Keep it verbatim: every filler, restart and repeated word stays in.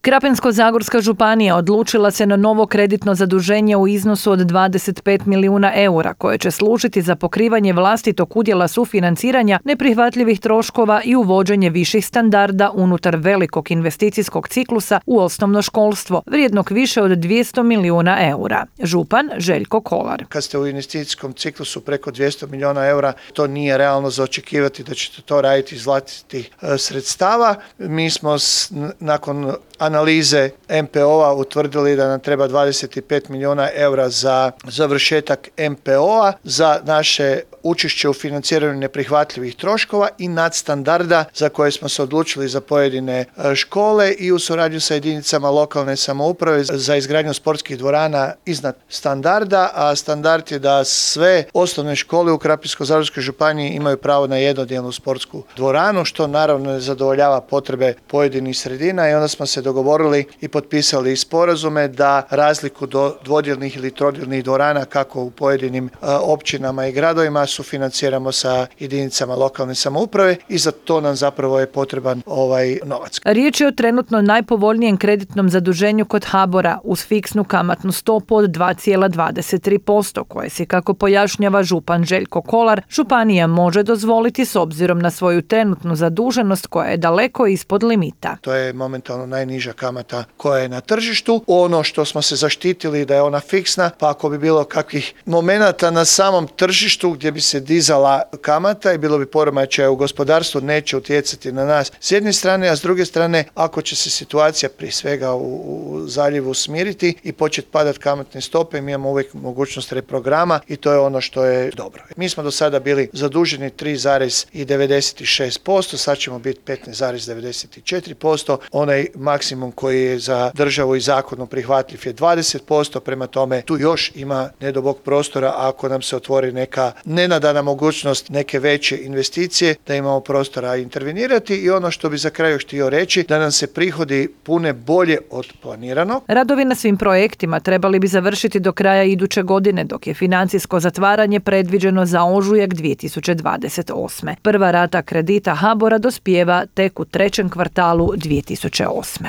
Krapinsko-zagorska županija odlučila se na novo kreditno zaduženje u iznosu od dvadeset pet milijuna eura koje će služiti za pokrivanje vlastitog udjela sufinanciranja neprihvatljivih troškova i uvođenje viših standarda unutar velikog investicijskog ciklusa u osnovno školstvo, vrijednog više od dvjesto milijuna eura. Župan Željko Kolar. Kad ste u investicijskom ciklusu preko dvjesto milijuna eura, to nije realno za očekivati da ćete to raditi iz vlastitih sredstava. Mi smo s, nakon analize M P O-a utvrdili da nam treba dvadeset pet milijuna eura za završetak M P O-a, za naše učešće u financiranju neprihvatljivih troškova i nadstandarda za koje smo se odlučili za pojedine škole i u suradnju sa jedinicama lokalne samouprave za izgradnju sportskih dvorana iznad standarda, a standard je da sve osnovne škole u Krapinsko-zagorskoj županiji imaju pravo na jednodjelnu sportsku dvoranu, što naravno ne zadovoljava potrebe pojedinih sredina, i onda smo se dogovorili i potpisali sporazume da razliku do dvodjelnih ili trodjelnih dvorana kako u pojedinim općinama i gradovima sufinanciramo sa jedinicama lokalne samouprave i za to nam zapravo je potreban ovaj novac. Riječ je o trenutno najpovoljnijem kreditnom zaduženju kod HBOR-a uz fiksnu kamatnu stopu od dva zarez dvadeset tri posto koje si, kako pojašnjava župan Željko Kolar, županija može dozvoliti s obzirom na svoju trenutnu zaduženost koja je daleko ispod limita. To je momentalno najniža kamata koja je na tržištu. Ono što smo se zaštitili da je ona fiksna, pa ako bi bilo kakvih momenata na samom tržištu gdje bi se dizala kamata i bilo bi poremećaja u gospodarstvu, neće utjecati na nas s jedne strane, a s druge strane ako će se situacija prije svega u, u zaljevu smiriti i početi padati kamatne stope, mi imamo uvijek mogućnost reprograma i to je ono što je dobro. Mi smo do sada bili zaduženi tri zarez devedeset šest posto, sad ćemo biti petnaest zarez devedeset četiri posto, onaj maksimum koji je za državu i zakonom prihvatljiv je dvadeset posto, prema tome tu još ima nedobog prostora ako nam se otvori neka nenadana mogućnost neke veće investicije, da imamo prostora intervenirati. I ono što bi za kraj još htio reći, da nam se prihodi pune bolje od planiranog. Radovi na svim projektima trebali bi završiti do kraja iduće godine, dok je financijsko zatvaranje predviđeno za ožujak dvije tisuće dvadeset osme. Prva rata kredita HBOR-a dospijeva tek u trećem kvartalu dvije tisuće osme.